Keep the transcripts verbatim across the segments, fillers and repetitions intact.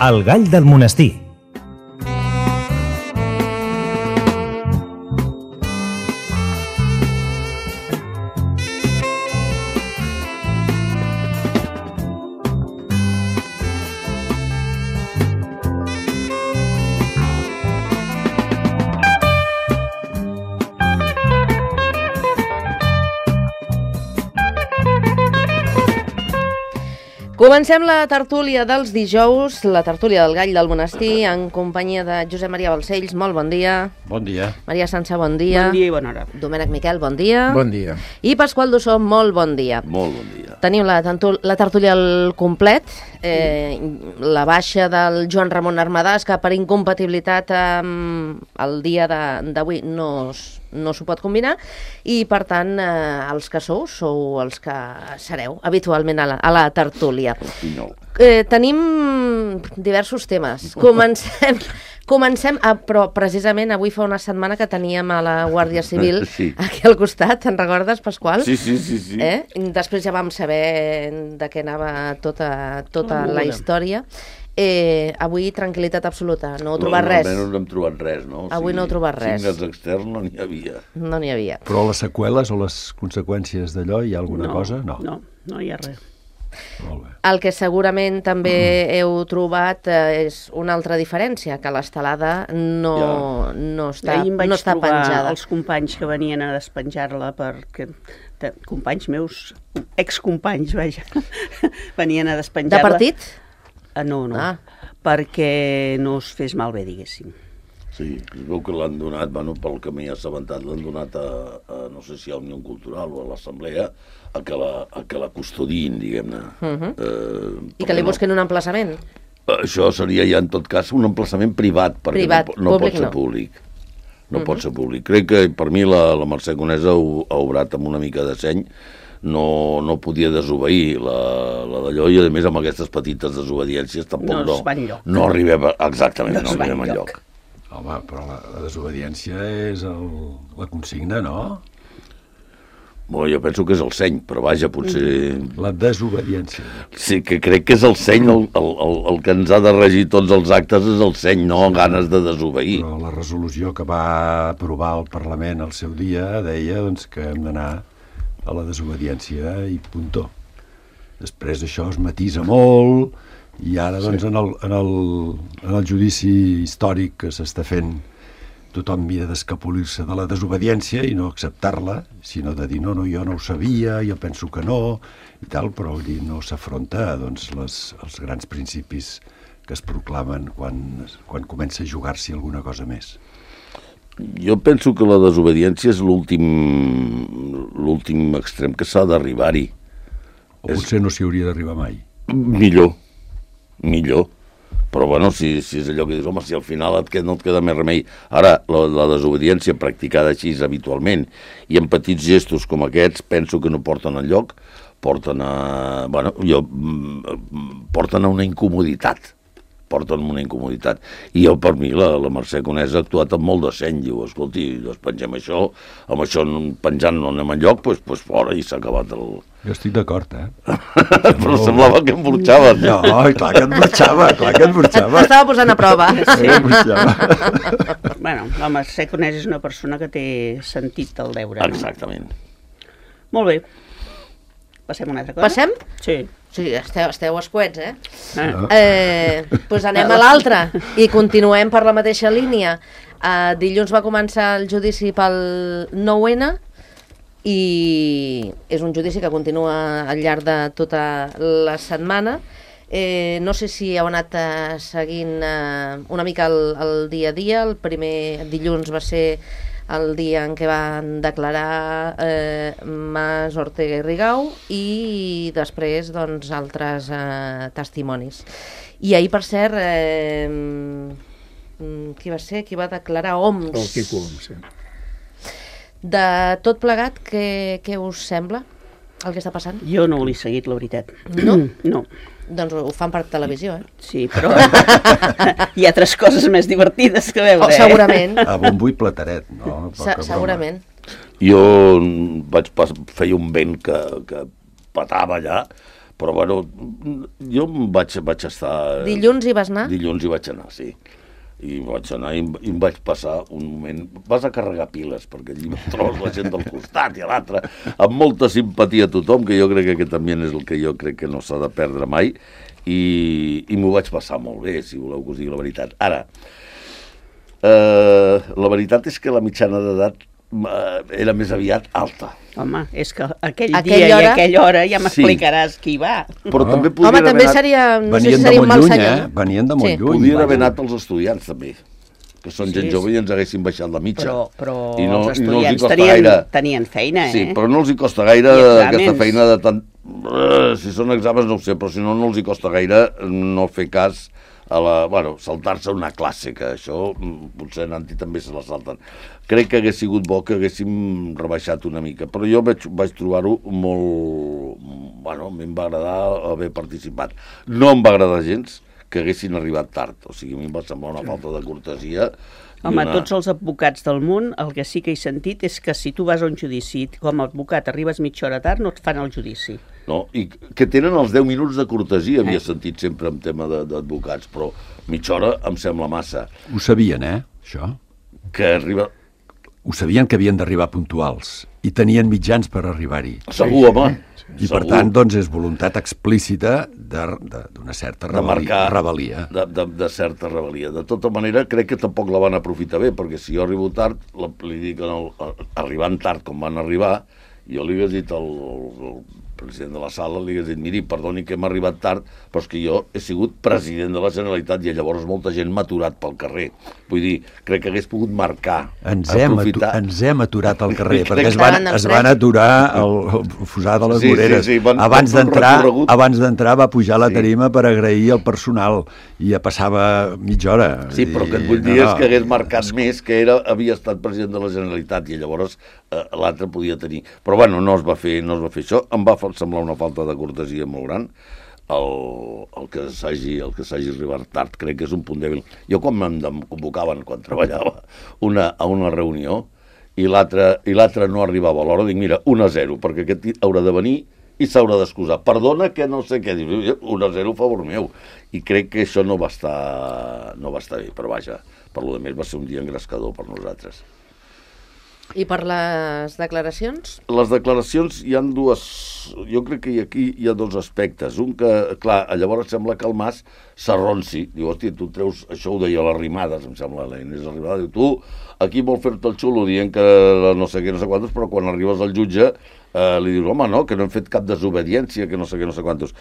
El gall del monestir. Comencem la tertúlia dels dijous, la tertúlia del gall del monestir, en companyia de Josep Maria Balcells. Molt bon dia. Bon dia. Maria Sança, bon dia. Bon dia i bona hora. Domènec Miquel, bon dia. Bon dia. I Pasqual Dussó, molt bon dia. Molt bon dia. Tenim la, la tertúlia al complet, eh, la baixa del Joan Ramon Armadàs, que per incompatibilitat amb el dia d'avui no, no s'ho pot combinar, i per tant eh, els que sou, sou els que sereu habitualment a la, a la tertúlia. No. Eh, tenim diversos temes. Comencem, comencem a, però precisament avui fa una setmana que teníem a la Guàrdia Civil sí. aquí al costat, te'n recordes, Pasqual? Sí, sí, sí. sí. Eh? Després ja vam saber de què anava tota, tota Oh, la bona. història. Eh, avui tranquil·litat absoluta, no heu trobat no, res. Almenys no hem trobat res, no? O Avui sigui, no heu trobat res. Signes externs no n'hi havia. No n'hi havia. Però les seqüeles o les conseqüències d'allò, hi ha alguna no, cosa? No. No, no hi ha res. Molt bé. El que segurament també mm. heu trobat eh, és una altra diferència, que l'estelada no, Ja. no està, Ahir em vaig no està trobar penjada. els companys que venien a despenjar-la perquè... De, companys meus, excompanys, vaja, venien a De despenjar-la. partit? Ah, no, no, Ah. perquè no es fes malbé, diguéssim. Sí, es veu que l'han donat, bueno, pel que m'he assabentat, l'han donat a, a, no sé si a Unió Cultural o a l'Assemblea, a que la, a que la custodin, diguem-ne. Uh -huh. eh, I que li perquè busquen un emplaçament? No, això seria ja, en tot cas, un emplaçament privat, perquè Privat, no, no públic pot ser no. públic. No uh -huh. pot ser públic. Crec que, per mi, la, la Mercè Conesa ho ha obrat amb una mica de seny. No, no podia desobeir la, la d'allò, i a més amb aquestes petites desobediències tampoc No no, es va enlloc. no arribem a, exactament, No no, es va arribem enlloc. enlloc. Home, però la, la desobediència és el, la consigna, no? Bueno, jo penso que és el seny, però vaja, potser... La desobediència. Sí, que crec que és el seny el, el, el, el que ens ha de regir tots els actes, és el seny, no ganes de desobeir. Però la resolució que va aprovar el Parlament al seu dia deia doncs, que hem d'anar a la desobediència i puntó. Després això es matisa molt i ara doncs, en, el, en, el, en el judici històric que s'està fent tothom mira d'escapolir-se de la desobediència i no acceptar-la, sinó de dir no, no, jo no ho sabia, jo penso que no i tal, però vull dir, no s'afronta doncs, les, els grans principis que es proclamen quan, quan comença a jugar-s'hi alguna cosa més. Jo penso que la desobediència és l'últim l'últim extrem que s'ha d'arribar-hi. O potser no s'hi hauria d'arribar mai. Millor, millor. Però, bueno, si, si és allò que dius, home, si al final et queda, no et queda més remei. Ara, la, la desobediència practicada així habitualment i en petits gestos com aquests, penso que no porten enlloc, porten a... Bueno, jo... porten a una incomoditat. porten una incomoditat. I jo, per mi, la, la Mercè Conesa ha actuat amb molt de seny. Diu, escolti, despengem això, amb això penjant no anem enlloc, doncs pues, pues fora, i s'ha acabat el... Jo estic d'acord, eh? Però no... semblava que em burxaves. No, clar que et burxava, clar que et burxava. Estava posant a prova. Sí, em burxava. Bueno, la Mercè Conesa és una persona que té sentit del deure. Exactament. No? Molt bé. Passem a una altra cosa? Passem? Sí. Sí, esteu, esteu escuets, eh? Ah. Eh, doncs anem a l'altra i continuem per la mateixa línia. Uh, dilluns va començar el judici pel nou ene i és un judici que continua al llarg de tota la setmana. Eh, no sé si heu anat uh, seguint uh, una mica el, el dia a dia. El primer dilluns va ser el dia en què van declarar eh, Mas, Ortega i Rigau, i després doncs, altres eh, testimonis. I ahir, per cert, eh, qui va ser? Qui va declarar? Oms. El Quico Oms, sí. De tot plegat, què, què us sembla el que està passant? Jo no l'he seguit, la veritat. No? No. Doncs ho fan per televisió, eh? Sí, però hi ha altres coses més divertides que veure, Oh, segurament. A bombo i plateret, no? Se segurament. Jo vaig pas feia un vent que, que patava allà, Però, bueno, jo em vaig, vaig estar... Dilluns hi vas anar? Dilluns hi vaig anar, sí. I vaig anar i, i em vaig passar un moment... Vas a carregar piles, perquè allí trobes la gent del costat i a l'altre, amb molta simpatia a tothom, que jo crec que aquest també és el que jo crec que no s'ha de perdre mai, i, i m'ho vaig passar molt bé, si voleu que us digui la veritat. Ara, eh, la veritat és que la mitjana d'edat era més aviat alta. Home, és que aquell, Aquell dia hora... i aquella hora ja m'explicaràs Sí. qui hi va. Però Oh. també podien Home, també haver anat... seria... No sé Venien si de seria un molt mal lluny, senyor. eh? Venien de molt Sí. lluny. Podien haver vaja. anat els estudiants, també, que són gent Sí, jove i ens haguessin baixat la mitja. Però, però I no, els i no els hi estudiants costa tenien, gaire... tenien feina, eh? Sí, però no els hi costa gaire I exàmens. aquesta feina de tant... Uh, si són exàmens no ho sé, però si no, no els hi costa gaire no fer cas a la... Bueno, saltar-se una classe, que això mm, potser Nanti també se la salten. Crec que hagués sigut bo que haguéssim rebaixat una mica, però jo vaig, vaig trobar-ho molt... Bueno, a mi em va agradar haver participat. No em va agradar gens que haguessin arribat tard, o sigui, a mi em va semblar una falta de cortesia. Home, una... tots els advocats del món, el que sí que he sentit és que si tu vas a un judici com a advocat arribes mitja hora tard, no et fan el judici. No? I que tenen els deu minuts de cortesia, havia Eh. sentit sempre en tema de- d'advocats, però mitja hora em sembla massa. Ho sabien, eh, això? Que arriba... Ho sabien que havien d'arribar puntuals i tenien mitjans per arribar-hi. Segur, home. I per segur. tant, doncs, és voluntat explícita de- de- d'una certa de rebel·lia. marcar rebel·lia. de, de, de certa rebel·lia. De tota manera, crec que tampoc la van aprofitar bé, perquè si jo arribo tard, la, li dic, el, arribant tard com van arribar, jo li hagués dit al, al president de la sala, li hagués dit, miri, perdoni que hem arribat tard, però és que jo he sigut president de la Generalitat i llavors molta gent m'ha aturat pel carrer. Vull dir, crec que hagués pogut marcar, Ens hem, atu aprofitar... ens hem aturat al carrer, Crec perquè es que van, estaven es van emprès. aturar el, el fusar de les Sí, sí, voreres. sí, van- abans van fer un d'entrar recorregut. abans d'entrar va pujar a la Sí. tarima per agrair el personal i ja passava mitja hora. Sí, però el que et vull dir és que hagués marcat més que era, havia estat president de la Generalitat i llavors eh, l'altre podia tenir. Però bueno, no es va fer, no es va fer això. Em va fa- semblar una falta de cortesia molt gran. El, el que s'hagi el que s'hagi arribat tard crec que és un punt dèbil. Jo quan em em convocaven, quan treballava una, a una reunió i l'altre i l'altre no arribava a l'hora, dic, mira, un a zero, perquè aquest haurà de venir i s'haurà d'excusar. Perdona que no sé què, dius, un a zero a favor meu. I crec que això no va estar, no va estar bé, però vaja, per lo de més va ser un dia engrescador per nosaltres. I per les declaracions? Les declaracions hi han dues... Jo crec que aquí hi ha dos aspectes. Un que, clar, llavors sembla que el Mas s'arronsi. Diu, hòstia, tu treus... Això ho deia l'Arrimades, em sembla, la Inés Arrimadas. Diu, tu, aquí vol fer-te el xulo dient que no sé què, no sé quantos, però quan arribes al jutge eh, li dius, home, no, que no hem fet cap desobediència, que no sé què, no sé quantos.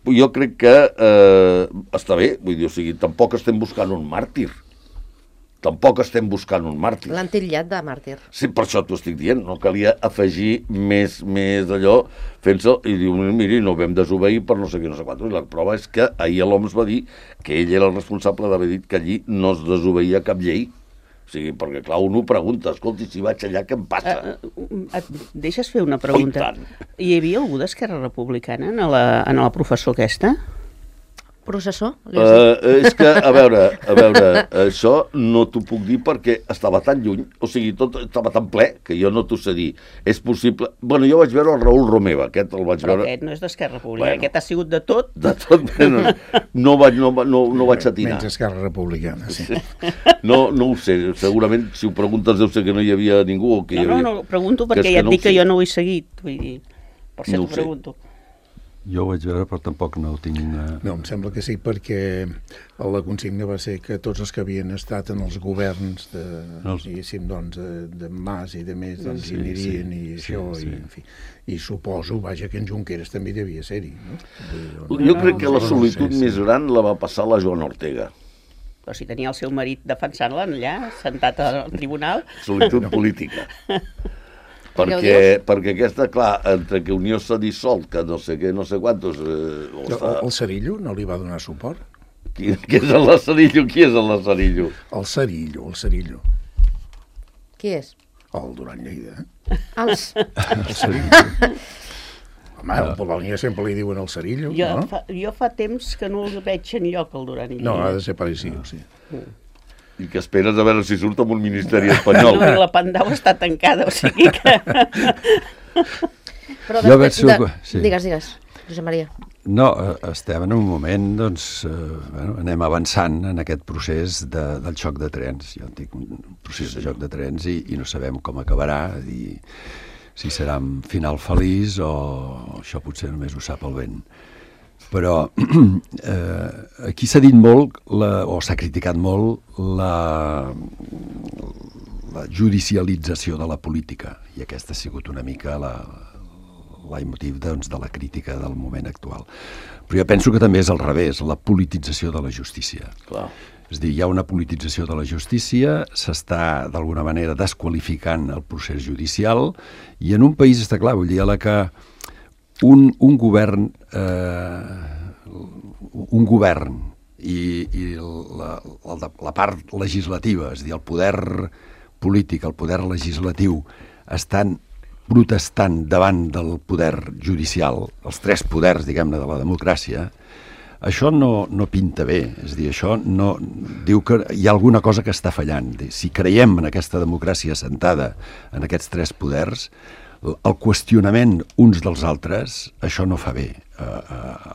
Jo crec que eh, està bé, vull dir, o sigui, tampoc estem buscant un màrtir. Tampoc estem buscant un màrtir. L'han titllat de màrtir. Sí, per això t'ho estic dient, no calia afegir més, més d'allò fent-se, i diu, miri, no vam desobeir per no sé què, no sé quantos. I la prova és que ahir l'Oms va dir que ell era el responsable d'haver dit que allí no es desobeïa cap llei. O sigui, perquè clar, un ho pregunta, escolti, si vaig allà, què em passa? Uh, et deixes fer una pregunta? Oh, i tant. Hi havia algú d'Esquerra Republicana en la, en la professor aquesta? Processó? Li has dit? Uh, és que, a veure, a veure, això no t'ho puc dir perquè estava tan lluny, o sigui, tot estava tan ple que jo no t'ho sé dir. És possible... Bueno, jo vaig veure el Raül Romeva, aquest el vaig Però veure... aquest no és d'Esquerra Republicana, Bueno. aquest ha sigut de tot. De tot, no, no, vaig, no, no, no vaig atinar. Menys Esquerra Republicana, sí. No, no ho sé, segurament si ho preguntes deu ser que no hi havia ningú o que hi No, havia... no, no, pregunto Que és perquè que ja et no ho dic que sé. jo no ho he seguit, vull dir, per No això ho t'ho sé. pregunto. Jo ho vaig veure, però tampoc no ho tinc... Uh... No, em sembla que sí, perquè la consigna va ser que tots els que havien estat en els governs de, Els- diguéssim, doncs, de, de Mas i de més, doncs, Sí, hi anirien sí, i sí, això, sí. i, en fi. I suposo, vaja, que en Junqueras també devia ser-hi, no? Vull dir, Jo crec que la no, solitud sí, sí. més gran la va passar la Joana Ortega. Però si tenia el seu marit defensant-la allà, sentat al tribunal, Solitud política. Què ho Perquè, perquè aquesta, clar, entre que Unió s'ha dissolt, que no sé què, no sé quantos... Eh, o El, està... el Cerillo no li va donar suport? qui, qui és el Lazarillo? Qui és el Lazarillo? El Cerillo, el Cerillo. Qui és? El Duran Lleida. eh? Els... El Cerillo. Home, el Polònia sempre li diuen el Cerillo, jo, no? fa, jo fa temps que no el veig enlloc, el Duran Lleida. No, ha de ser parecido, sí. I que esperes a veure si surt amb un ministeri No, espanyol. i la Pandau està tancada, o sigui que... Però Jo veig de... que- sí. Digues, digues, Josep Maria. No, estem en un moment, doncs, eh, bueno, anem avançant en aquest procés de, del xoc de trens. Jo en dic un procés de xoc de trens i, i no sabem com acabarà, i si serà un final feliç o això potser només ho sap el vent. Però eh, aquí s'ha dit molt, la, o s'ha criticat molt, la, la judicialització de la política, i aquesta ha sigut una mica la, la motiu, doncs, de la crítica del moment actual. Però jo penso que també és al revés, la politització de la justícia. Clar. És a dir, hi ha una politització de la justícia, s'està d'alguna manera desqualificant el procés judicial, i en un país està clar, vull dir, a la que Un, un govern eh, un govern i, i la, la, la part legislativa, és a dir, el poder polític, el poder legislatiu, estan protestant davant del poder judicial, els tres poders, diguem-ne, de la democràcia, això no, no pinta bé. És a dir, això no, diu que hi ha alguna cosa que està fallant. Si creiem en aquesta democràcia assentada en aquests tres poders, el qüestionament uns dels altres, això no fa bé eh,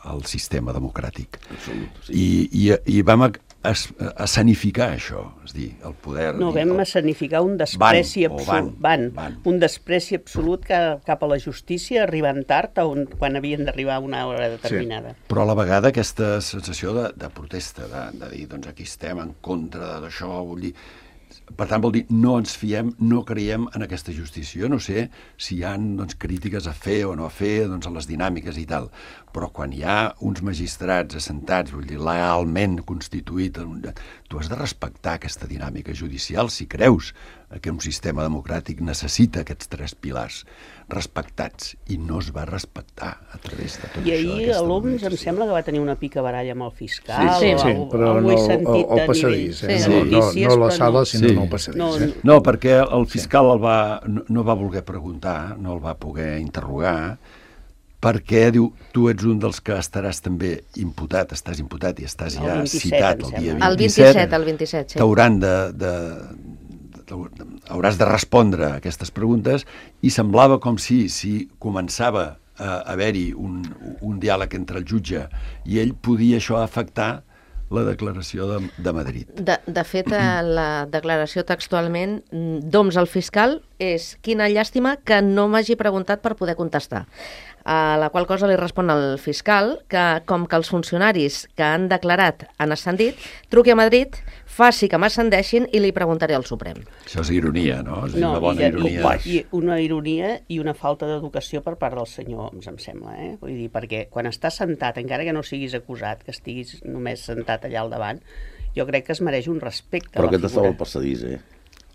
al sistema democràtic. Absolut, sí. I, i, i vam a, a, a escenificar això, és dir, el poder... No, dir, vam el... escenificar un despreci van, absolut, van, van, van. un despreci absolut cap, cap a la justícia, arribant tard a on, quan havien d'arribar a una hora determinada. Sí. Però a la vegada aquesta sensació de, de protesta, de, de dir, doncs aquí estem en contra d'això, vull dir... Per tant, vol dir, no ens fiem, no creiem en aquesta justícia. Jo no sé si hi ha, doncs, crítiques a fer o no a fer, doncs, a les dinàmiques i tal, però quan hi ha uns magistrats assentats, vull dir, legalment constituït, tu has de respectar aquesta dinàmica judicial si creus que un sistema democràtic necessita aquests tres pilars respectats, i no es va respectar a través de tot I això. ahir l'Oms em sembla que va tenir una pica baralla amb el fiscal. Sí, o sí, algo, però algo no he sentit el, el de passadís, eh? nivell- no, no, notícies, no la però sala, no. sinó Sí. no el passadís. No, eh? No, perquè el fiscal el va, no, no va voler preguntar, no el va poder interrogar, perquè, diu, tu ets un dels que estaràs també imputat, estàs imputat i estàs El ja vint-i-set, citat em el dia sembla. El vint-i-set. vint-i-set, el vint-i-set, sí. T'hauran de, de, de, de, hauràs de respondre a aquestes preguntes, i semblava com si, si començava a haver-hi un, un diàleg entre el jutge i ell, podia això afectar la declaració de, de Madrid. De, de fet, eh, la declaració textualment d'Oms al fiscal és: quina llàstima que no m'hagi preguntat per poder contestar. A la qual cosa li respon el fiscal que, com que els funcionaris que han declarat han ascendit, truqui a Madrid, faci que m'ascendeixin i li preguntaré al Suprem. Això és ironia, no? És No, una bona i, ironia. i, i una ironia i una falta d'educació per part del senyor Oms, em sembla, eh? Vull dir, perquè quan estàs sentat, encara que no siguis acusat, que estiguis només sentat allà al davant, jo crec que es mereix un respecte Però a la aquest estava figura. al passadís, eh?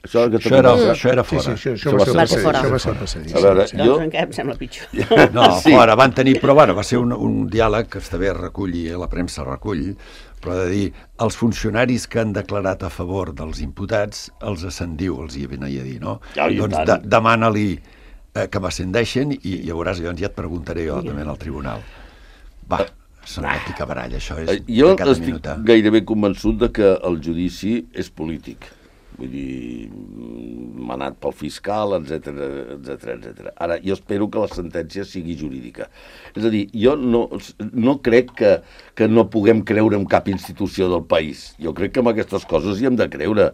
Això, que Això era, també- això era Sí, fora. sí, això, això, Això va ser va el ser passadís, fora. això va ser el passadís. A veure, sí. Doncs jo... encara em sembla pitjor. No, Sí. fora, van tenir, però bueno, va ser un, un diàleg que està bé reculli, la premsa recull, però de dir, els funcionaris que han declarat a favor dels imputats, els ascendiu, els hi venia a dir, no? Ja, i doncs tant. de, demana-li eh, que m'ascendeixen, i, i llavors llavors ja et preguntaré jo també al tribunal. Va, són una picabaralla, això és Eh, Jo de cada estic minuta. gairebé convençut de que el judici és polític. Vull dir, manat pel fiscal, etcètera, etcètera, etcètera. Ara, jo espero que la sentència sigui jurídica. És a dir, jo no, no crec que, que no puguem creure en cap institució del país. Jo crec que en aquestes coses hi hem de creure.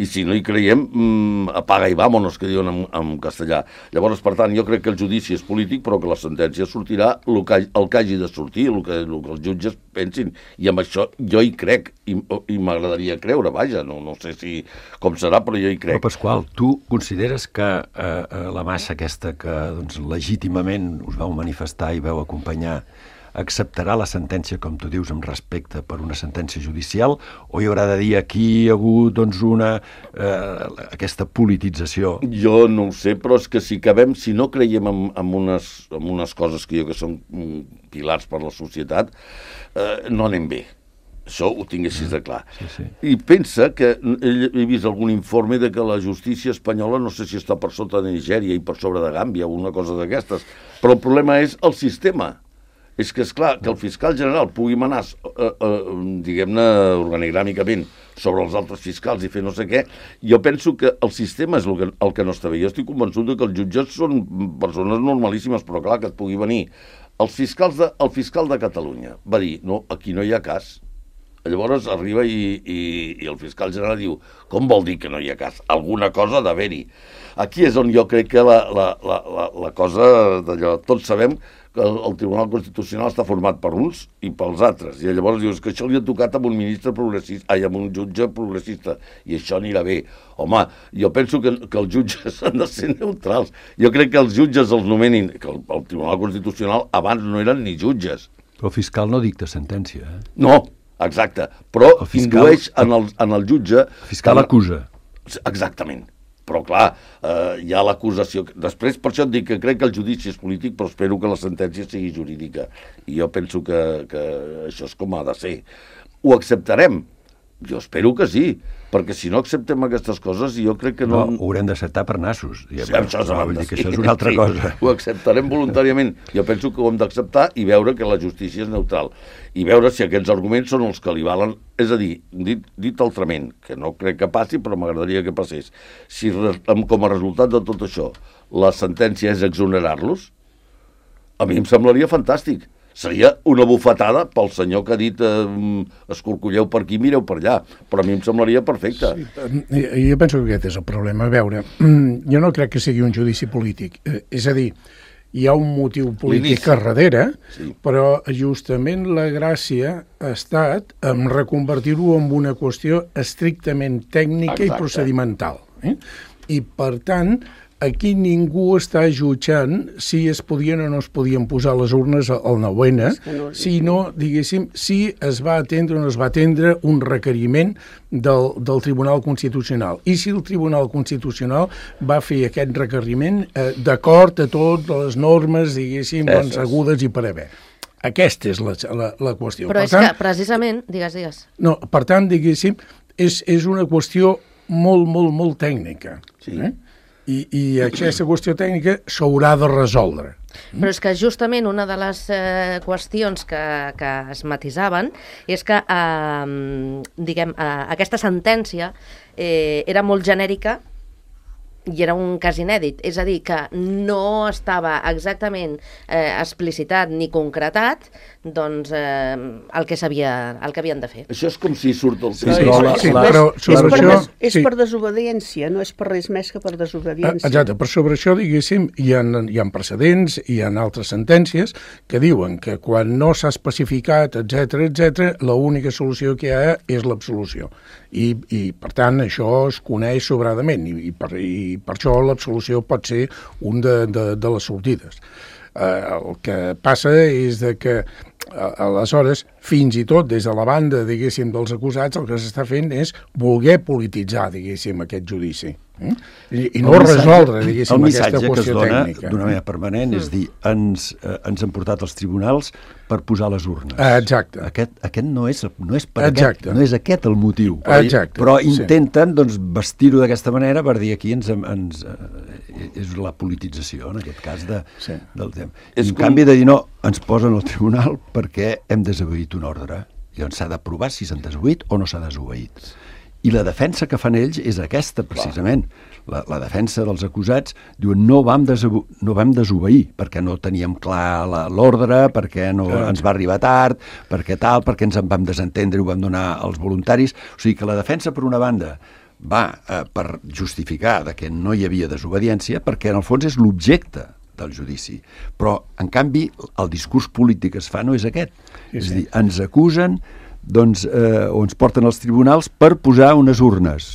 I si no hi creiem, mmm, apaga i vámonos, que diuen en, en castellà. Llavors, per tant, jo crec que el judici és polític, però que la sentència sortirà el que, el que hagi de sortir, el que, el que els jutges pensin. I amb això jo hi crec, i, i m'agradaria creure, vaja, no, no sé si com serà, però jo hi crec. Però, Pasqual, tu consideres que eh, la massa aquesta que doncs, legítimament us vau manifestar i vau acompanyar acceptarà la sentència, com tu dius, amb respecte per una sentència judicial, o hi haurà de dir aquí hi ha hagut doncs, una, eh, aquesta politització? Jo no ho sé, però és que si acabem, si no creiem en, en, unes, en unes coses que jo que són mm, pilars per la societat, eh, no anem bé. Això ho tinguessis de clar. Sí, sí. I pensa que he, he vist algun informe de que la justícia espanyola no sé si està per sota de Nigèria i per sobre de Gàmbia o una cosa d'aquestes, però el problema és el sistema. És que, és clar, que el fiscal general pugui manar, eh, eh, diguem-ne, organigràmicament sobre els altres fiscals i fer no sé què, jo penso que el sistema és el que, el que no està bé. Jo estic convençut de que els jutges són persones normalíssimes, però clar, que et pugui venir el fiscal de, el fiscal de Catalunya va dir, no, aquí no hi ha cas. Llavors arriba i, i, i el fiscal general diu, com vol dir que no hi ha cas? Alguna cosa ha d'haver-hi. Aquí és on jo crec que la, la, la, la, la cosa d'allò, tots sabem que el, el Tribunal Constitucional està format per uns i pels altres, i llavors dius que això li ha tocat amb un ministre progressista, ai, amb un jutge progressista, i això anirà bé. Home, jo penso que, que els jutges han de ser neutrals. Jo crec que els jutges els nomenin, que el, el Tribunal Constitucional abans no eren ni jutges. Però el fiscal no dicta sentència, eh? No, exacte, però el fiscal, indueix en el, en el jutge... El fiscal acusa. Exactament. Però, clar, eh, hi ha l'acusació... Després, per això et dic que crec que el judici és polític, però espero que la sentència sigui jurídica. I jo penso que, que això és com ha de ser. Ho acceptarem? Jo espero que sí, perquè si no acceptem aquestes coses, jo crec que no... No, ho haurem d'acceptar per nassos. Sí, això, no, vull dir que això és una altra sí, cosa. Ho acceptarem voluntàriament. Jo penso que ho hem d'acceptar i veure que la justícia és neutral. I veure si aquests arguments són els que li valen. És a dir, dit, dit altrament, que no crec que passi, però m'agradaria que passés. Si com a resultat de tot això la sentència és exonerar-los, a mi em semblaria fantàstic. Seria una bufetada pel senyor que ha dit eh, escorcolleu per aquí, mireu per allà, però a mi em semblaria perfecte. Sí, jo penso que aquest és el problema. A veure, jo no crec que sigui un judici polític. És a dir, hi ha un motiu polític a darrere, sí. Però justament la gràcia ha estat en reconvertir-ho en una qüestió estrictament tècnica Exacte. I procedimental. Eh? I, per tant, aquí ningú està jutjant si es podien o no es podien posar les urnes al nou ene, no, sinó, diguéssim, si es va atendre o no es va atendre un requeriment del, del Tribunal Constitucional. I si el Tribunal Constitucional va fer aquest requeriment eh, d'acord a totes les normes, diguéssim, doncs, agudes i per haver. Aquesta és la, la, la qüestió. Però per és tant, que, precisament, digues, digues. No, per tant, diguéssim, és, és una qüestió molt, molt, molt tècnica. Sí. Eh? I, i aquesta qüestió tècnica s'haurà de resoldre. Però és que justament una de les eh, qüestions que, que es matisaven és que eh, diguem, eh, aquesta sentència eh, era molt genèrica i era un cas inèdit, és a dir, que no estava exactament eh, explicitat ni concretat doncs, eh, el que s'havia, el que havien de fer. Això és com si surt el... Sí, però la, sí, la, però sobre és, per, això, des, és sí. per desobediència, no és per res més que per desobediència. Exacte, però sobre això, diguéssim, hi ha, hi ha precedents, hi ha altres sentències que diuen que quan no s'ha especificat, etcètera, etcètera, l'única solució que hi ha és l'absolució. I, i, per tant, això es coneix sobradament i, i, per, i per això l'absolució pot ser un de, de, de les sortides. Eh, el que passa és de que aleshores, fins i tot des de la banda, diguéssim, dels acusats, el que s'està fent és voler polititzar, diguéssim, aquest judici. Eh? I, I no missatge, resoldre, diguéssim, aquesta qüestió tècnica. El missatge que es dona d'una manera permanent és dir, ens, eh, ens han portat als tribunals per posar les urnes. Exacte. Aquest, aquest no és, no és per Exacte. aquest, no és aquest el motiu. Però, Exacte. però intenten doncs, vestir-ho d'aquesta manera per dir aquí ens, ens, eh, és la politització, en aquest cas, de, sí. del tema. I, en com... canvi de dir no, ens posen al tribunal perquè hem desobeït un ordre. Llavors s'ha de provar si s'han desobeït o no s'ha desobeït. I la defensa que fan ells és aquesta, precisament. La, la defensa dels acusats diuen no vam, desobe no vam desobeir perquè no teníem clar l'ordre, perquè no Clar. ens va arribar tard, perquè tal, perquè ens en vam desentendre i ho vam donar als voluntaris. O sigui que la defensa, per una banda, va eh, per justificar de que no hi havia desobediència, perquè en el fons és l'objecte del judici. Però, en canvi, el discurs polític que es fa no és aquest. Sí, és sí. a dir, ens acusen doncs, eh, o ens porten als tribunals per posar unes urnes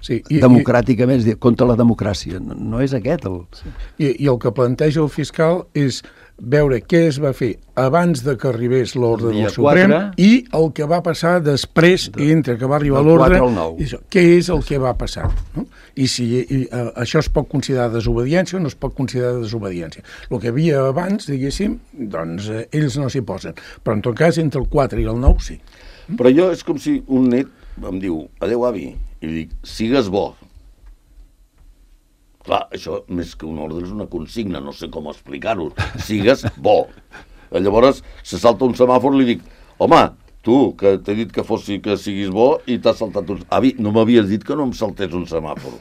sí, i, democràticament, és dir, contra la democràcia. No, no és aquest el... Sí. I, I el que planteja el fiscal és veure què es va fer abans de que arribés l'ordre del Suprem i el que va passar després, de, entre que va arribar l'ordre, què és el que va passar. No? I si i, uh, això es pot considerar desobediència o no es pot considerar desobediència. El que havia abans, diguéssim, doncs eh, ells no s'hi posen. Però en tot cas, entre el quatre i el nou, sí. Però jo és com si un net em diu, adeu avi, i li dic, sigues bo. Clar, això més que un ordre és una consigna, no sé com explicar-ho. Sigues bo. Llavors se salta un semàfor i li dic, home, Tu, que t'he dit que fossi, que siguis bo i t'has saltat uns... Avi, no m'havies dit que no em saltés un semàfor.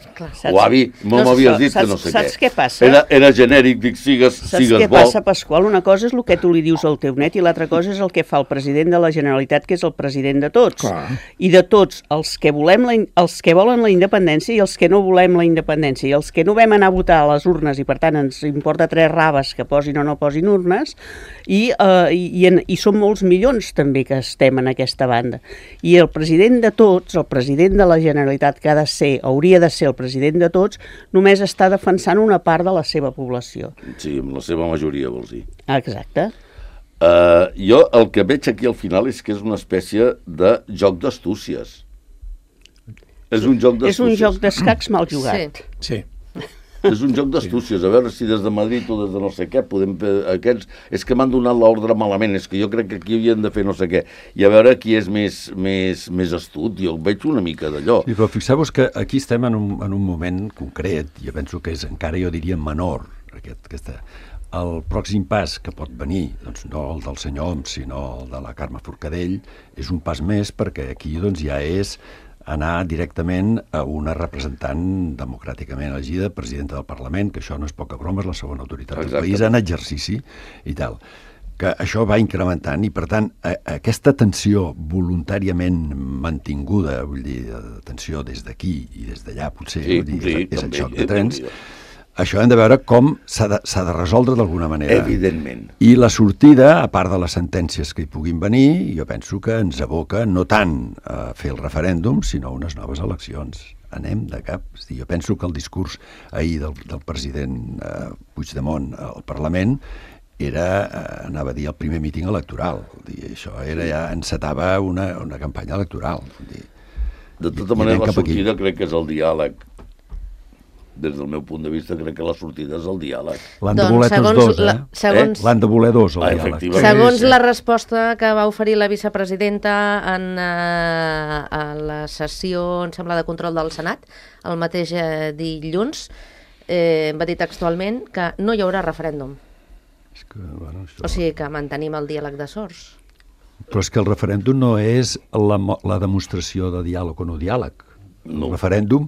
O avi, no, no m'havies dit que no sé saps què. què passa? Era, era genèric, dic, sigues, saps sigues bo. Saps què passa, Pasqual? Una cosa és el que tu li dius al teu net i l'altra cosa és el que fa el president de la Generalitat, que és el president de tots. Clar. I de tots, els que, volem la, els que volen la independència i els que no volem la independència. I els que no vam anar a votar a les urnes i, per tant, ens importa tres raves que posin o no posin urnes, i, eh, i, i, en, i són molts milions també que estem en aquesta banda. I el president de tots, el president de la Generalitat, que ha de ser, hauria de ser el president de tots, només està defensant una part de la seva població. Sí, amb la seva majoria, vols dir. Exacte. Uh, jo el que veig aquí al final és que és una espècie de joc d'astúcies. És un joc d'astúcies. És un joc d'escacs mal jugat. Sí. És un joc d'astúcies, a veure si des de Madrid o des de no sé què podem... Aquests, és que m'han donat l'ordre malament, és que jo crec que aquí havien de fer no sé què, i a veure qui és més, més, més astut, jo veig una mica d'allò. Sí, però fixeu-vos que aquí estem en un, en un moment concret, jo penso que és encara, jo diria, menor, aquest, aquesta... El pròxim pas que pot venir, doncs no el del senyor Homs, sinó el de la Carme Forcadell, és un pas més perquè aquí doncs, ja és anar directament a una representant democràticament elegida, presidenta del Parlament, que això no és poca broma, és la segona autoritat del país en exercici i tal. Que això va incrementant i, per tant, a, a aquesta tensió voluntàriament mantinguda, vull dir, tensió des d'aquí i des d'allà, potser, sí, vull dir, sí, és, és també, el xoc de trens, també. Això hem de veure com s'ha de, s'ha de resoldre d'alguna manera. Evidentment. I la sortida, a part de les sentències que hi puguin venir, jo penso que ens aboca no tant a fer el referèndum, sinó a unes noves eleccions. Anem de cap. Jo penso que el discurs ahir del, del president eh, Puigdemont al Parlament era, eh, anava a dir, el primer míting electoral. Dir, això era ja encetava una, una campanya electoral. Dir, de tota manera, la sortida crec que és el diàleg. Des del meu punt de vista, crec que la sortida és el diàleg. L'han de voler tots dos, eh? La, segons, eh? L'han de voler dos, el ah, diàleg. Segons la resposta que va oferir la vicepresidenta en eh, a la sessió, em sembla, de control del Senat, el mateix eh, dilluns, eh, va dir textualment que no hi haurà referèndum. És que, bueno, això... O sigui que mantenim el diàleg de sords. Però és que el referèndum no és la, la demostració de diàleg o no diàleg. No. El referèndum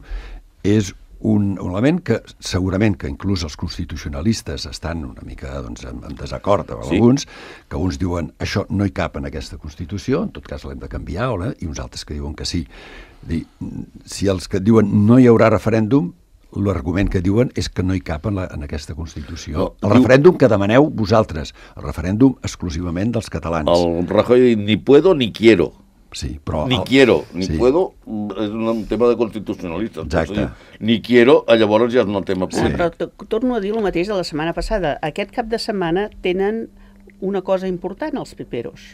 és un element que segurament que inclús els constitucionalistes estan una mica doncs, en, en desacord amb sí. alguns, que uns diuen això no hi cap en aquesta Constitució, en tot cas l'hem de canviar, o i uns altres que diuen que sí. Dir, si els que diuen no hi haurà referèndum, l'argument que diuen és que no hi cap en, la, en aquesta Constitució. No, el diu... referèndum que demaneu vosaltres, el referèndum exclusivament dels catalans. El Rajoy diu ni puedo ni quiero. Sí, però ni el... quiero, ni sí. puedo, és un tema de constitucionalistes. Exacte. Ni quiero, llavors ja és un tema polític. Sí. Però torno a dir el mateix de la setmana passada. Aquest cap de setmana tenen una cosa important, els peperos.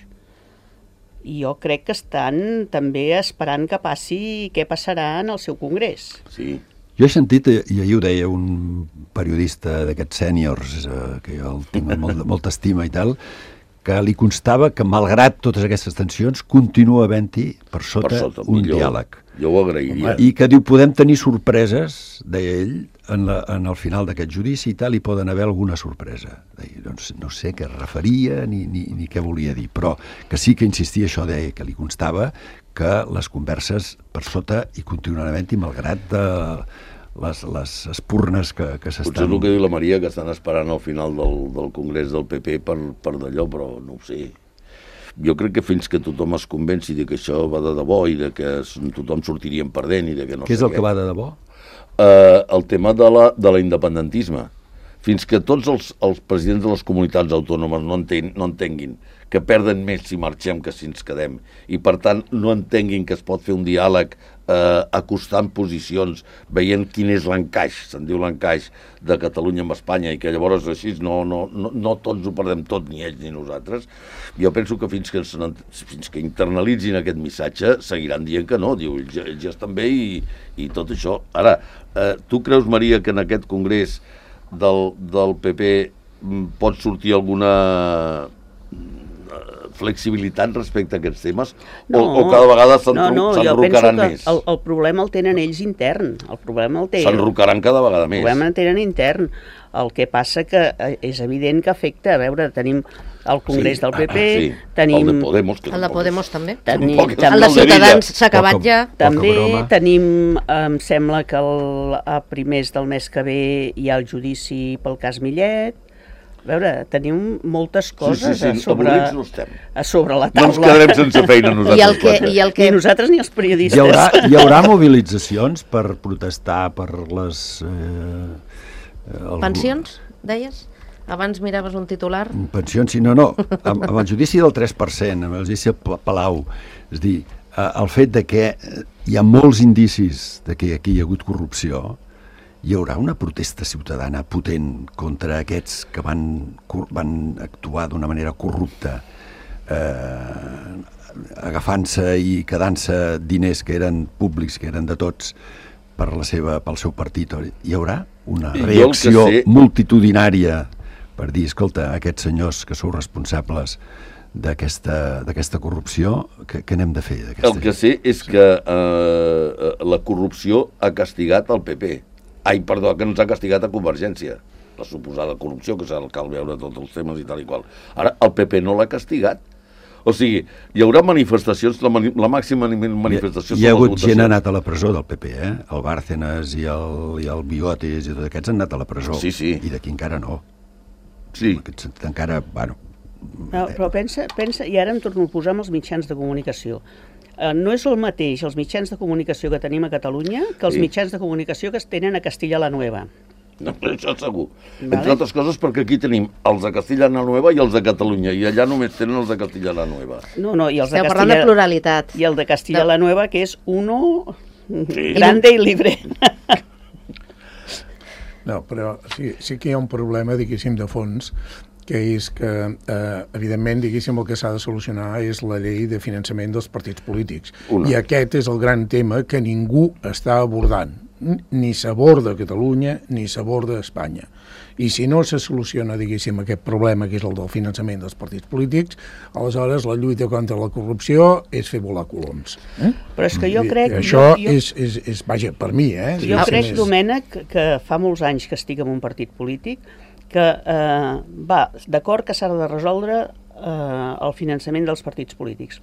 I jo crec que estan també esperant que passi què passarà en el seu congrés. Sí. Jo he sentit, i ahir ho deia un periodista d'aquests sèniors, eh, que jo el tinc amb molt, molta estima i tal, que li constava que, malgrat totes aquestes tensions, continua havent-hi per sota, per sota un millor, diàleg. Jo ho agrairia. I que diu, podem tenir sorpreses, deia ell, en, la, en el final d'aquest judici i tal, hi poden haver alguna sorpresa. Deia, doncs no sé què referia ni, ni, ni què volia dir, però que sí que insistia això, deia que li constava que les converses per sota hi continuaran havent-hi, malgrat de les, les espurnes que, que s'estan... Potser és el que diu la Maria, que estan esperant al final del, del congrés del P P per, per d'allò, però no ho sé. Jo crec que fins que tothom es convenci de que això va de debò i de que tothom sortiríem perdent i de que no sé què... Què és el que va de debò? Uh, el tema de la, de l'independentisme. Fins que tots els, els presidents de les comunitats autònomes no, enten, no entenguin que perden més si marxem que si ens quedem, i per tant no entenguin que es pot fer un diàleg eh, acostant posicions, veient quin és l'encaix, se'n diu l'encaix de Catalunya amb Espanya, i que llavors així no, no, no, no tots ho perdem tot, ni ells ni nosaltres. Jo penso que fins que, fins que internalitzin aquest missatge seguiran dient que no, diu, ells, ells ja estan bé i, i tot això. Ara, eh, tu creus, Maria, que en aquest congrés del, del P P pot sortir alguna flexibilitat respecte a aquests temes no, o, o cada vegada s'enrocaran no, no, jo penso que més? El, el problema el tenen ells intern. El problema el té... S'enrocaran cada vegada més. El problema el tenen intern. El que passa que és evident que afecta, a veure, tenim el Congrés sí, del P P, sí. tenim... El de Podemos. Que el de Podemos també. Tenim, tampoc, també el de Ciutadans s'ha acabat poca, ja. També broma. tenim, em sembla que el, a primers del mes que ve hi ha el judici pel cas Millet. A veure, tenim moltes coses sí, sí, sí, a, sobre, no estem. a sobre la No ens taula. quedarem sense feina nosaltres. I el que, i el que... Ni nosaltres ni els periodistes. Hi haurà, hi haurà mobilitzacions per protestar per les... Eh, el, Pensions, deies? Abans miraves un titular. Pensions, sí, no, no. Amb, amb el judici del tres per cent, amb el judici de Palau, és dir, eh, el fet de que hi ha molts indicis de que aquí hi ha hagut corrupció, hi haurà una protesta ciutadana potent contra aquests que van, van actuar d'una manera corrupta, eh, agafant-se i quedant-se diners que eren públics, que eren de tots, per la seva, pel seu partit. Hi haurà una reacció sé... multitudinària per dir, escolta, aquests senyors que sou responsables d'aquesta corrupció, què, què n'hem de fer? El que sé és que eh, la corrupció ha castigat el P P. Ai, perdó, que ens ha castigat a Convergència. La suposada corrupció, que s'ha cal veure tots els temes i tal i qual. Ara, el P P no l'ha castigat. O sigui, hi haurà manifestacions, la, mani la màxima manifestació... Hi ha, hi ha hagut gent anat a la presó del P P, eh? El Bárcenas i el, i el Biotes i tots aquests han anat a la presó. Sí, sí. I d'aquí encara no. Sí. En aquest sentit encara, bueno... No, però pensa, pensa, i ara em torno a posar amb els mitjans de comunicació. Uh, no és el mateix els mitjans de comunicació que tenim a Catalunya que els sí. mitjans de comunicació que es tenen a Castilla la Nueva. No, això segur. Vale. Entre altres coses perquè aquí tenim els de Castilla la Nueva i els de Catalunya, i allà només tenen els de Castilla la Nueva. No, no, i els Esteu de parlant Castilla... de pluralitat. I el de Castilla no. la Nueva, que és uno sí. grande i libre. No, però sí, sí que hi ha un problema, diguéssim, de fons, que és que, eh, evidentment, diguéssim, el que s'ha de solucionar és la llei de finançament dels partits polítics. Una. I aquest és el gran tema que ningú està abordant. Ni s'aborda a Catalunya, ni s'aborda a Espanya. I si no se soluciona, diguéssim, aquest problema, que és el del finançament dels partits polítics, aleshores la lluita contra la corrupció és fer volar coloms. Eh? Però és que jo crec... I això jo, jo... És, és, és, vaja, per mi, eh? Jo crec, Domènec, que fa molts anys que estic en un partit polític, que eh, va d'acord que s'ha de resoldre eh, el finançament dels partits polítics.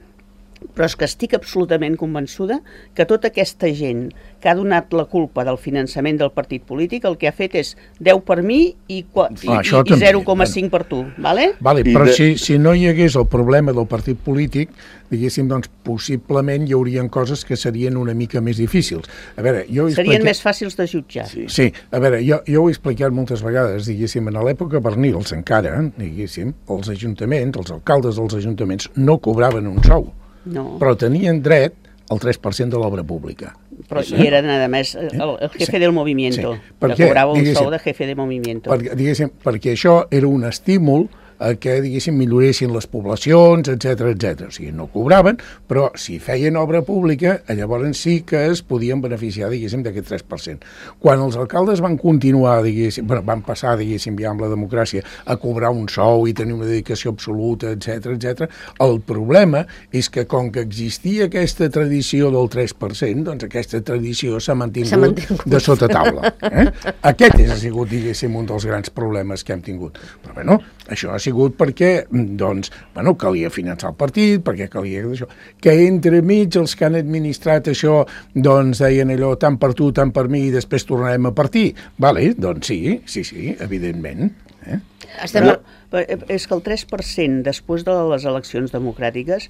Però és que estic absolutament convençuda que tota aquesta gent que ha donat la culpa del finançament del partit polític el que ha fet és deu per mi i, i, ah, i, i zero coma cinc per tu, vale? Vale, però de... si, si no hi hagués el problema del partit polític, diguéssim, doncs possiblement hi haurien coses que serien una mica més difícils. A veure, jo serien explica... més fàcils de jutjar. Sí, sí. A veure, jo, jo ho he explicat moltes vegades, diguéssim, en l'època Bernils encara, diguéssim, els ajuntaments, els alcaldes dels ajuntaments no cobraven un sou. No. Però tenien dret al tres per cent de l'obra pública. Però sí. I eren, a més, el, el jefe sí. del movimiento, sí. que cobrava un sou de jefe de movimiento. Per, diguéssim, perquè això era un estímul a que, diguéssim, milloressin les poblacions, etcètera, etcètera. O sigui, no cobraven, però si feien obra pública, llavors sí que es podien beneficiar, diguéssim, d'aquest tres per cent. Quan els alcaldes van continuar, diguéssim, bueno, van passar, diguéssim, ja amb la democràcia, a cobrar un sou i tenir una dedicació absoluta, etcètera, etcètera, el problema és que com que existia aquesta tradició del tres per cent, doncs aquesta tradició s'ha mantingut, mantingut de sota taula. Eh? Aquest ha sigut, diguéssim, un dels grans problemes que hem tingut. Però, bueno, això ha sigut perquè, doncs, bueno, calia finançar el partit, perquè calia això. Que entre mig els que han administrat això, doncs, deien allò, tant per tu, tant per mi, i després tornarem a partir. Vale, doncs sí, sí, sí, evidentment. Eh? Estem... Però, és que el tres per cent després de les eleccions democràtiques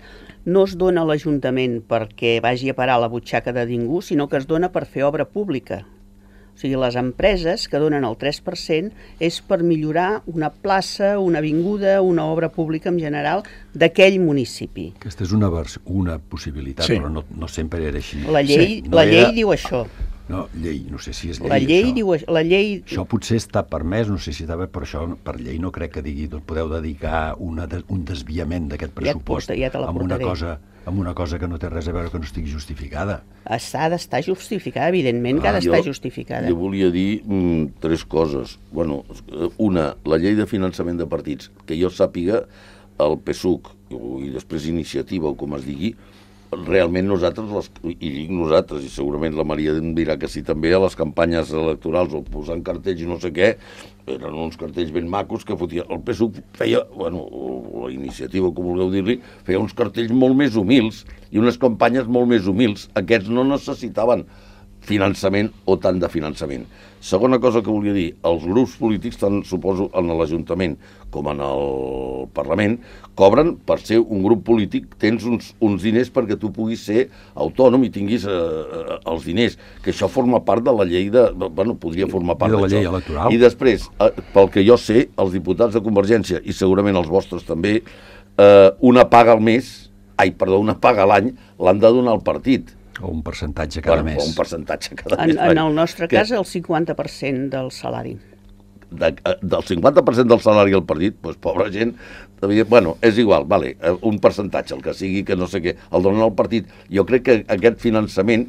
no es dona a l'Ajuntament perquè vagi a parar a la butxaca de ningú, sinó que es dona per fer obra pública. O sigui, les empreses que donen el tres per cent és per millorar una plaça, una avinguda, una obra pública en general d'aquell municipi. Aquesta és una, una possibilitat, sí. Però no, no sempre era així. La llei, sí. no la llei era... diu això. No, llei, no sé si és llei, la llei això. Diu, la llei... Això potser està permès, no sé si està bé, però això per llei no crec que digui, doncs podeu dedicar una, un desviament d'aquest pressupost ja porta, ja amb, una cosa, amb una cosa que no té res a veure, que no estigui justificada. S'ha d'estar justificada, evidentment que ah, ha d'estar justificada. Jo volia dir mm, tres coses. Bueno, una, la llei de finançament de partits, que jo sàpiga, el P S U C i després Iniciativa, o com es digui, realment nosaltres, les, i dic nosaltres, i segurament la Maria em dirà que sí també, a les campanyes electorals o posant cartells i no sé què, eren uns cartells ben macos que fotia... El P S U feia, bueno, la Iniciativa, com vulgueu dir-li, feia uns cartells molt més humils i unes campanyes molt més humils. Aquests no necessitaven finançament o tant de finançament. Segona cosa que volia dir, els grups polítics, tant suposo en l'Ajuntament com en el Parlament, cobren per ser un grup polític, tens uns, uns diners perquè tu puguis ser autònom i tinguis eh, els diners, que això forma part de la llei de... Bueno, podria formar part de la d'això. llei electoral. I després, eh, pel que jo sé, els diputats de Convergència, i segurament els vostres també, eh, una paga al mes, ai, perdó, una paga a l'any, l'han de donar al partit. O un percentatge cada bueno, mes. O un percentatge cada En, mes. en el nostre que, cas, el cinquanta per cent del salari. De, del cinquanta per cent del salari al partit, doncs pobra gent, devia, bueno, és igual, vale, un percentatge, el que sigui, que no sé què, el donen al partit. Jo crec que aquest finançament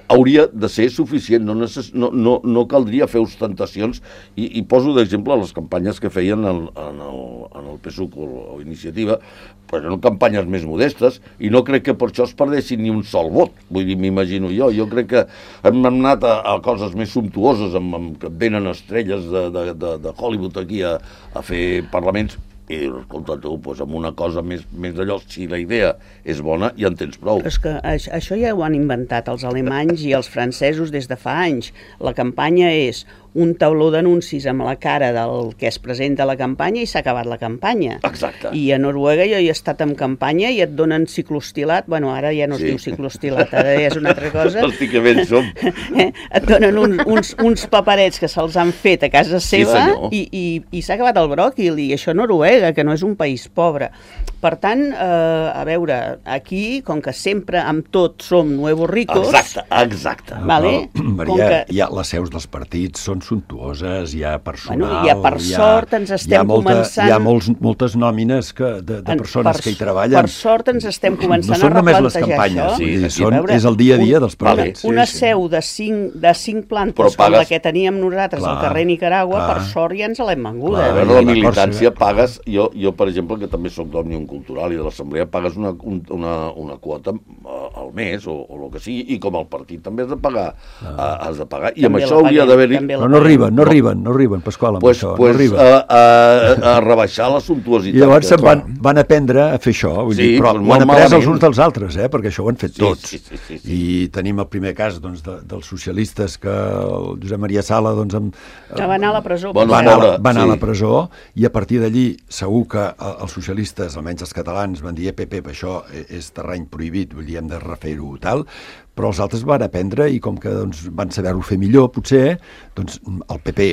hauria de ser suficient, no, necess, no, no, no caldria fer ostentacions, i, i poso d'exemple les campanyes que feien en, en, el, en el P S U o, o Iniciativa, però eren campanyes més modestes, i no crec que per això es perdessin ni un sol vot, vull dir, m'imagino jo, jo crec que hem anat a, a coses més sumptuoses, amb, amb, que venen estrelles de, de, de, de Hollywood aquí a, a fer parlaments, i escolta tu, doncs amb una cosa més, més d'allò, si la idea és bona, ja en tens prou. Però és que això ja ho han inventat els alemanys i els francesos des de fa anys. La campanya és un tauló d'anuncis amb la cara del que es presenta a la campanya i s'ha acabat la campanya. Exacte. I a Noruega jo hi he estat en campanya i et donen ciclostilat, bueno, ara ja no es Sí. diu ciclostilat, ara ja és una altra cosa. Hosti, que ben som. Eh? Et donen un, uns, uns paperets que se'ls han fet a casa seva senyor. i, i, i s'ha acabat el bròquil, i això a Noruega, que no és un país pobre. Per tant, eh, a veure, aquí, com que sempre amb tot som nuevos ricos... Exacte, exacte. Vale? Però, Maria, Com que... hi ha, les seus dels partits són suntuoses, hi ha personal... Bueno, i ja per hi ha, sort ens estem hi ha molta, començant- Hi ha molts, moltes nòmines que, de, de En- persones per, que hi treballen. Per sort ens estem començant no són a només replantejar les campanyes, això. vull dir, Sí, són, A veure, és el dia a dia un- dels partits. Una Sí, sí. seu de cinc, de cinc plantes, Però com la pagues- que teníem nosaltres Clar, al carrer Nicaragua, clar. per sort ja ens l'hem venguda. Clar, A veure, i la la militància Còrsega. pagues, jo, jo per exemple, que també soc d'Òmnium Cultural i de l'Assemblea, pagues una, un, una, una quota uh, al mes o, o el que sigui, i com el partit també has de pagar, uh, has de pagar, i amb També això la hauria paguem, d'haver-hi... també la Però no arriben, no arriben, no arriben, Pasqual, amb Pues, això, pues, no arriben. a, a, a rebaixar la sumptuositat. I llavors que- se'n van, van aprendre a fer això, vull Sí, dir, però doncs ho han molt après els malament. uns dels altres, eh, perquè això ho han fet Sí, tots. sí, sí, sí, sí. I tenim el primer cas doncs, de, dels socialistes, que el Josep Maria Sala doncs, amb, Que va anar a la presó. Bueno, va, anar, pobre, va anar sí. a la presó, i a partir d'allí segur que eh, els socialistes, almenys els catalans, van dir, P P, això és terreny prohibit, vull dir, hem de refer-ho tal, però els altres van aprendre, i com que doncs, van saber-ho fer millor, potser, doncs el P P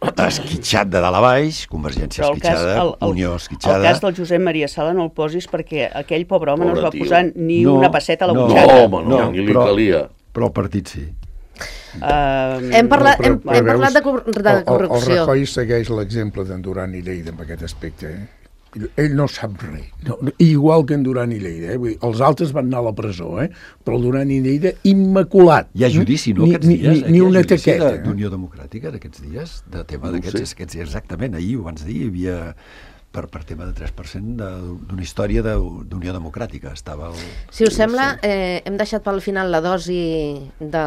esquitxat de dalt a baix, Convergència Però el cas, esquitxada, el, el, Unió el esquitxada... cas del Josep Maria Sala no el posis perquè aquell pobre home Pobre no es va tio. posar ni No, una pesseta a la no. butxaca. No, home, no, ni li però, calia. però el partit sí. Uh, Hem parlat, Però- hem, però hem parlat de, veus, cor- de el, el, el corrupció. Rajoy segueix l'exemple d'en Duran i Lleida en aquest aspecte. Eh? Ell no sap res. No, igual que en Duran i Lleida. Eh? Vull dir, els altres van anar a la presó, eh? Però el Duran i Lleida, immaculat. Hi ha judici, no, Ni- aquests ni, dies? Ni, Aquí ni hi ha una judici taqueta. de- eh? d'Unió Democràtica d'aquests dies, de tema No ho d'aquests, sé. aquests dies, exactament, ahir ho vans dir, hi havia per, per tema de tres per cent de- d'una història de- d'Unió Democràtica. Estava el... Si us sembla, eh, hem deixat pel final la dosi de,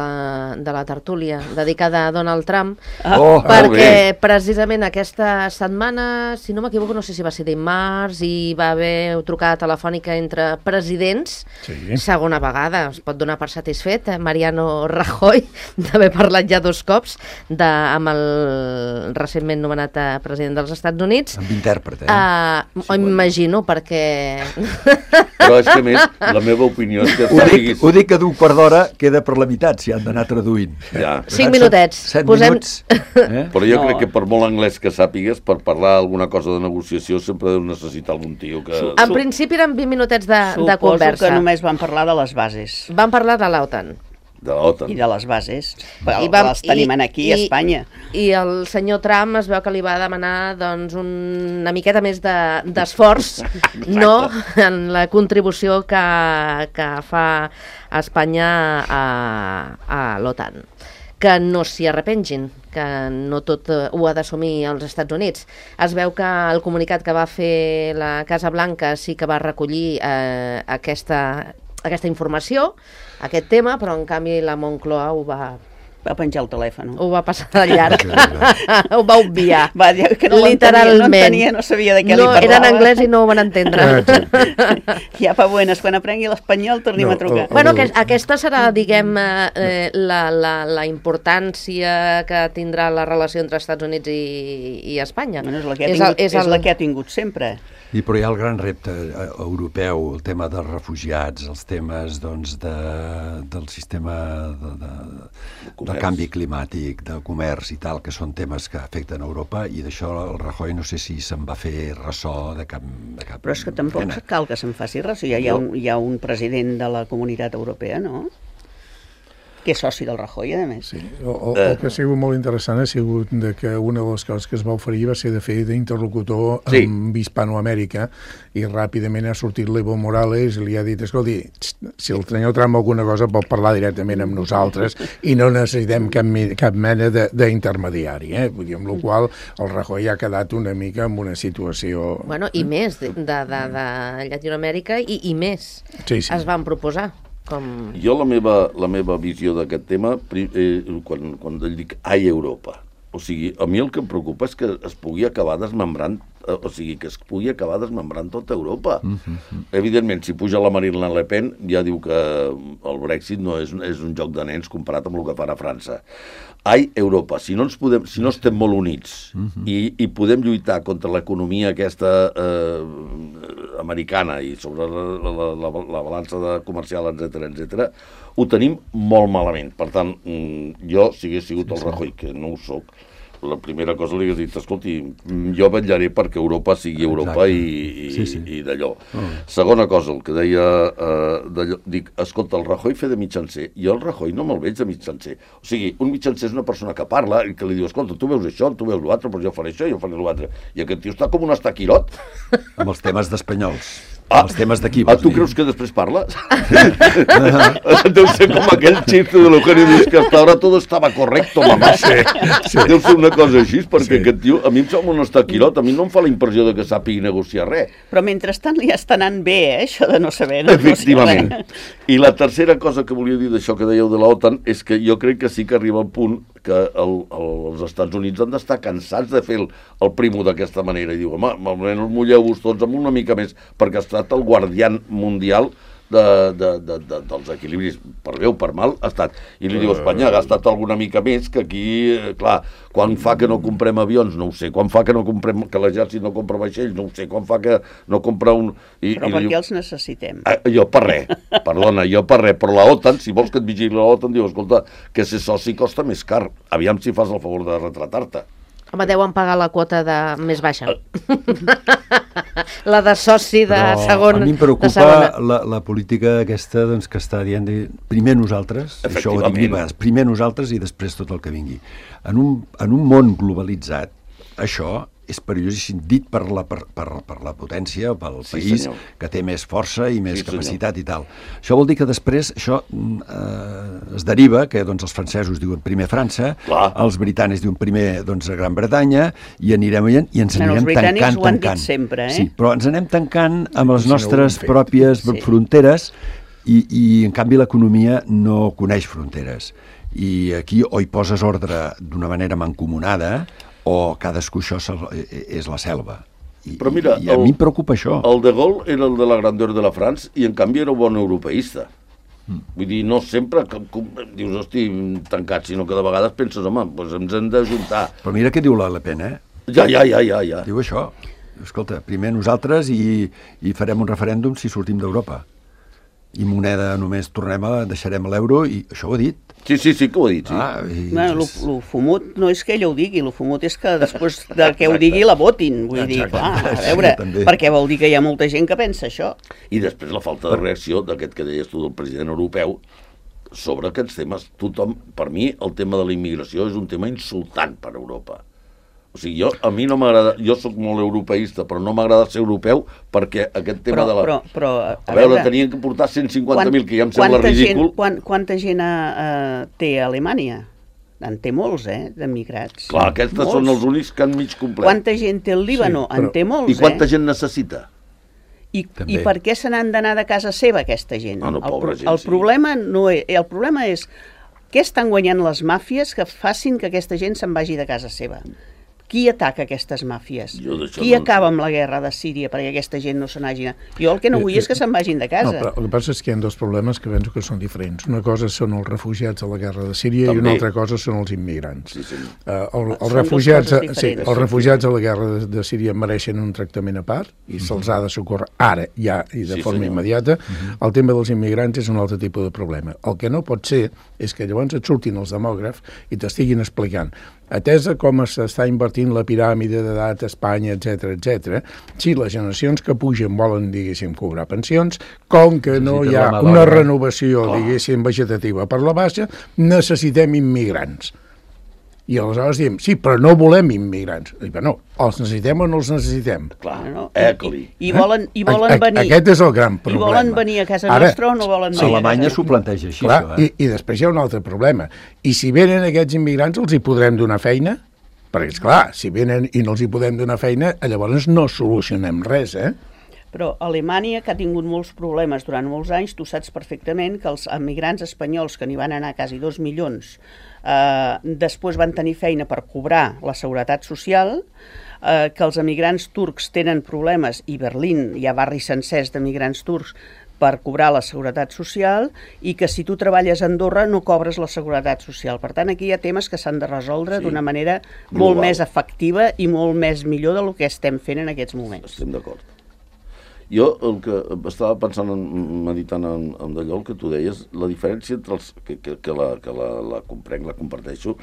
de la tertúlia dedicada a Donald Trump, Oh, perquè precisament aquesta setmana, si no m'equivoco, no sé si va ser dimarts, hi va haver trucada telefònica entre presidents, Sí. segona vegada, es pot donar per satisfet, eh, Mariano Rajoy, d'haver parlat ja dos cops de, amb el recentment nomenat eh, president dels Estats Units. amb intèrpret, eh? Uh, Sí, M'imagino, perquè... Però és que, a més, la meva opinió és que Ho dic, sàpiguis... ho dic que d'un quart d'hora queda per la meitat, si han d'anar traduint. Ja. Cinc minutets. Set Posem- minuts. Eh? Però jo No. crec que per molt anglès que sàpigues, per parlar alguna cosa de negociació, sempre deus necessitar algun tio que... En principi eren vint minutets de, de Suposo conversa. que només van parlar de les bases Van parlar de l'OTAN. De l'OTAN. i de les bases. Però I vam- les tenim i- aquí a i- Espanya. I el senyor Trump es veu que li va demanar doncs, un, una miqueta més de- d'esforç de, no? en la contribució que, que fa Espanya a, a l'OTAN. que no s'hi arrepengin, que no tot ho ha d'assumir els Estats Units. Es veu que el comunicat que va fer la Casa Blanca sí que va recollir eh, aquesta, aquesta informació, aquest tema, però en canvi la Moncloa ho va... Va penjar el telèfon. Ho va passar de llarg. Ho va obviar. Va dir que no literalment. No entenia, no sabia de què no, li parlava. Era en anglès i no ho van entendre. Ja pa buenas, quan aprengui l'espanyol tornim no, a trucar. Oh, oh, bueno, que aquesta serà, diguem, eh, la, la, la importància que tindrà la relació entre Estats Units i, i Espanya. Bueno, és la que ha tingut, és, el, és, el... la que ha tingut sempre. I però hi ha el gran repte europeu, el tema dels refugiats, els temes doncs, de, del sistema de, de, del canvi climàtic, de comerç i tal, que són temes que afecten Europa, i d'això el Rajoy no sé si se'n va fer ressò de cap, de cap Però és que tampoc pena. Cal que se'n faci ressò. Hi ha, hi, ha un, hi ha un president de la Comunitat Europea, no?, que és soci del Rajoy, a més. Sí. El, el, el que ha sigut molt interessant ha sigut de que una de les coses que es va oferir va ser de fer d'interlocutor sí. amb Hispanoamèrica, i ràpidament ha sortit l'Evo Morales i li ha dit, escolti, si el senyor Trump alguna cosa pot parlar directament amb nosaltres i no necessitem cap, cap mena d'intermediari, eh? Vull dir, amb la qual el Rajoy ha quedat una mica en una situació... Bueno, i més, de, de, de, de Llatinoamèrica i, i més sí, sí. es van proposar. Com... Jo la meva, la meva visió d'aquest tema, eh, quan, quan dic ai Europa, o sigui, a mi el que em preocupa és que es pugui acabar desmembrant, eh, o sigui, que es pugui acabar desmembrant tota Europa. Mm-hmm. Evidentment, si puja la Marine Le Pen, ja diu que el Brexit no és, és un joc de nens comparat amb el que farà França. Ai Europa, si no, ens podem, si no estem molt units mm-hmm. i, i podem lluitar contra l'economia aquesta eh, americana i sobre la, la, la, la balança de comercial, etcètera, etcètera, ho tenim molt malament. Per tant, jo, si hagués sigut el Rajoy, que no ho soc, la primera cosa li hagués dit, escolti, jo vetllaré perquè Europa sigui Europa i, i, sí, sí. i d'allò. Oh. Segona cosa, el que deia, eh, d'allò, dic, escolta, el Rajoy fer de mitjancer, jo el Rajoy no me'l veig de mitjancer. O sigui, un mitjancer és una persona que parla i que li diu, escolta, tu veus això, tu veus l'altre, però jo faré això, jo faré l'altre. I aquest tio està com un estaquirot. Amb els temes d'espanyols. Ah, els temes d'aquí. Ah, tu dir? Creus que després parla? Deu ser com aquell xiste de l'Eugenio Luis, que hasta ahora todo estaba correcto, mamá. Sí, sí. Deu ser una cosa així, perquè sí. Aquest tio, a mi em sembla un estaquirot, a mi no em fa la impressió de que sàpigui negociar res. Però mentrestant li està anant bé, eh, això de no saber negociar. Efectivament. I la tercera cosa que volia dir d'això que dèieu de l'OTAN és que jo crec que sí que arriba al punt que el, el, els Estats Units han d'estar cansats de fer el, el primo d'aquesta manera i diu, home, almenys mulleu-vos tots amb una mica més, perquè ha estat el guardián mundial de, de, de, de, dels equilibris, per bé o per mal, ha estat. I li diu, Espanya ha gastat alguna mica més, que aquí, clar, quan fa que no comprem avions, no ho sé, quan fa que no comprem, que l'exèrcit no compra vaixells, no ho sé, quan fa que no compra un... I, però i per què diu, els necessitem? Ah, jo per res, perdona, jo per res, però la OTAN, si vols que et vigili la OTAN, diu, escolta, que ser soci costa més car, aviam si fas el favor de retratar-te. Home, deuen pagar la quota de més baixa. La de soci de però segon. A mi em preocupa la, la política aquesta doncs, que està dient de, primer nosaltres, això ho dic vegades, primer nosaltres i després tot el que vingui. En un, en un món globalitzat, això és perillosíssim, dit per la, per, per, per la potència, pel sí, país senyor. Que té més força i més sí, capacitat senyor. I tal. Això vol dir que després això eh, es deriva, que doncs, els francesos diuen primer França, clar. Els britànics diuen primer doncs, Gran Bretanya, i anirem veient i ens anirem no, tancant, ho han tancant. Dit sempre, eh? Sí, però ens anem tancant amb les nostres no pròpies sí. fronteres i, i en canvi l'economia no coneix fronteres. I aquí o hi poses ordre d'una manera mancomunada o cadascú això és la selva. I, però mira, i a el, mi em preocupa això. El de Gaulle era el de la grandeur de la France i en canvi era un bon europeista. Mm. Vull dir, no sempre que, com, dius, hosti, tancat, sinó que de vegades penses, home, doncs ens hem d'ajuntar. Però mira què diu la Le Pen, eh? Ja, ja, ja, ja, ja. Diu això. Escolta, primer nosaltres i, i farem un referèndum si sortim d'Europa. I moneda només tornem a, deixarem l'euro i això ho ha dit. Sí, sí, sí que ho ha dit, sí. Ah, i... no, lo, lo fumut no és que ella ho digui, lo fumut és que després de que ho digui la votin. Vull dir, clar, a veure, sí, perquè vol dir que hi ha molta gent que pensa això. I després la falta de reacció d'aquest que deies tu del president europeu sobre aquests temes. Tothom, per mi, el tema de la immigració és un tema insultant per a Europa. O sigui, jo, a mi no m'agrada, jo sóc molt europeista, però no m'agrada ser europeu perquè aquest tema però, de la... Però, però, a, a veure, veure, tenien que portar cent cinquanta mil, que ja em sembla ridícul. Gent, quant, quanta gent uh, té a Alemanya? En té molts, eh, d'emigrats. Clar, aquests són els únics que han mig complet. Quanta gent té el Líbano? Sí, però... En té molts, I quanta eh? gent necessita? I, I per què se n'han d'anar de casa seva, aquesta gent? Ah, no, el, pobra el, gent, el, sí. problema no és, el problema és què estan guanyant les màfies que facin que aquesta gent se'n vagi de casa seva. Qui ataca aquestes màfies? Jo d'això Qui no en acaba sé. amb la guerra de Síria perquè aquesta gent no se n'hagi anat? Jo el que no vull és que se'n vagin de casa. No, però el que passa és que hi ha dos problemes que penso que són diferents. Una cosa són els refugiats de la guerra de Síria També. i una altra cosa són els immigrants. Sí, sí. Uh, el, els, Són refugiats, dues coses sí, diferents. els refugiats de la guerra de, de Síria mereixen un tractament a part i se'ls ha de socórrer ara, ja, i de Sí, forma senyor. immediata. El tema dels immigrants és un altre tipus de problema. El que no pot ser és que llavors et surtin els demògrafs i t'estiguin explicant atesa com s'està invertint la piràmide d'edat a Espanya, etcètera, etcètera, si les generacions que pugen volen, diguéssim, cobrar pensions, com que no hi ha una renovació, diguéssim, vegetativa per la baixa, necessitem immigrants. I aleshores diem, sí, però no volem immigrants. I bé, no, els necessitem o no els necessitem? Clar, No, no. Ecli. I, i volen, i volen A- a- venir... Aquest és el gran I problema. volen venir a casa Ara, nostra o no volen A venir a Alemanya casa s'ho planteja així, Clar, això, eh? i, i després hi ha un altre problema. I si venen aquests immigrants, els hi podrem donar feina? Perquè, esclar, si venen i no els hi podem donar feina, llavors no solucionem res, eh? Però Alemanya, que ha tingut molts problemes durant molts anys, tu saps perfectament que els emigrants espanyols, que n'hi van anar quasi dos milions, eh, després van tenir feina per cobrar la seguretat social, eh, que els emigrants turcs tenen problemes, i Berlín hi ha barris sencers d'emigrants turcs, per cobrar la seguretat social, i que si tu treballes a Andorra no cobres la seguretat social. Per tant, aquí hi ha temes que s'han de resoldre Sí. d'una manera Global. molt més efectiva i molt més millor del que estem fent en aquests moments. Estem d'acord. Jo el que estava pensant, en, meditant en, en d'allò, el que tu deies, la diferència entre els, que, que, que, la, que la, la comprenc, la comparteixo,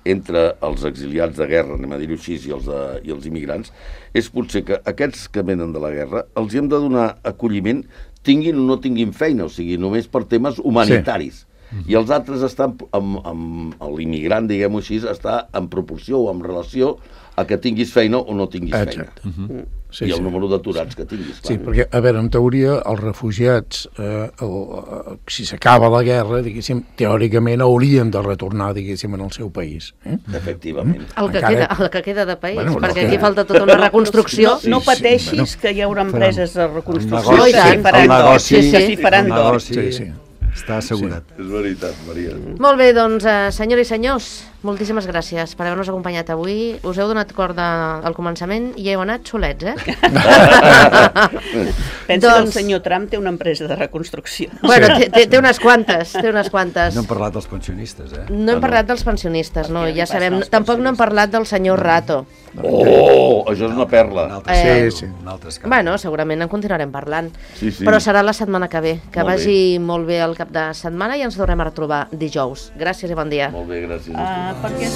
entre els exiliats de guerra, anem a dir-ho així, i els, de, i els immigrants, és potser que aquests que venen de la guerra els hi hem de donar acolliment, tinguin o no tinguin feina, o sigui, només per temes humanitaris. Sí. I els altres estan, amb, amb l'immigrant, diguem-ho així, està en proporció o en relació a que tinguis feina o no tinguis Exacte. feina. Uh -huh. Sí, I el sí. número d'aturats que tinguis. Clar. Sí, perquè, a veure, en teoria, els refugiats, eh, el, eh, si s'acaba la guerra, diguéssim, teòricament haurien de retornar, diguéssim, en el seu país. Eh? Efectivament. El que, Encara- queda, el que queda de país, Bueno, bueno, perquè no, aquí que- falta tota una reconstrucció. No, no Sí, sí, pateixis bueno. que hi haurà empreses de El reconstrucció negoci, que s'hi tant. faran el d'or. negoci, Sí, sí. Que s'hi faran el d'or. negoci Sí, sí. està assegurat. És veritat, Maria. Molt bé, doncs, eh, senyores i senyors, moltíssimes gràcies per haver-nos acompanyat avui. Us heu donat corda al començament i heu anat solets, eh? Pensa que el Doncs- senyor Trump té una empresa de reconstrucció. Bueno, té, té, té unes quantes, té unes quantes. No hem parlat dels pensionistes, eh? No hem parlat dels pensionistes, no, Perquè ja li sabem. passen als Tampoc no hem parlat del senyor Rato. Oh, això és una Un perla. altre Eh, escàndol, sí. un altre escàndol. Bueno, segurament en continuarem parlant. Sí, sí. Però serà la setmana que ve. Que Molt vagi molt bé el cap de setmana i ens tornem a retrobar dijous. Gràcies i bon dia. Molt bé, gràcies. Ah, perquè...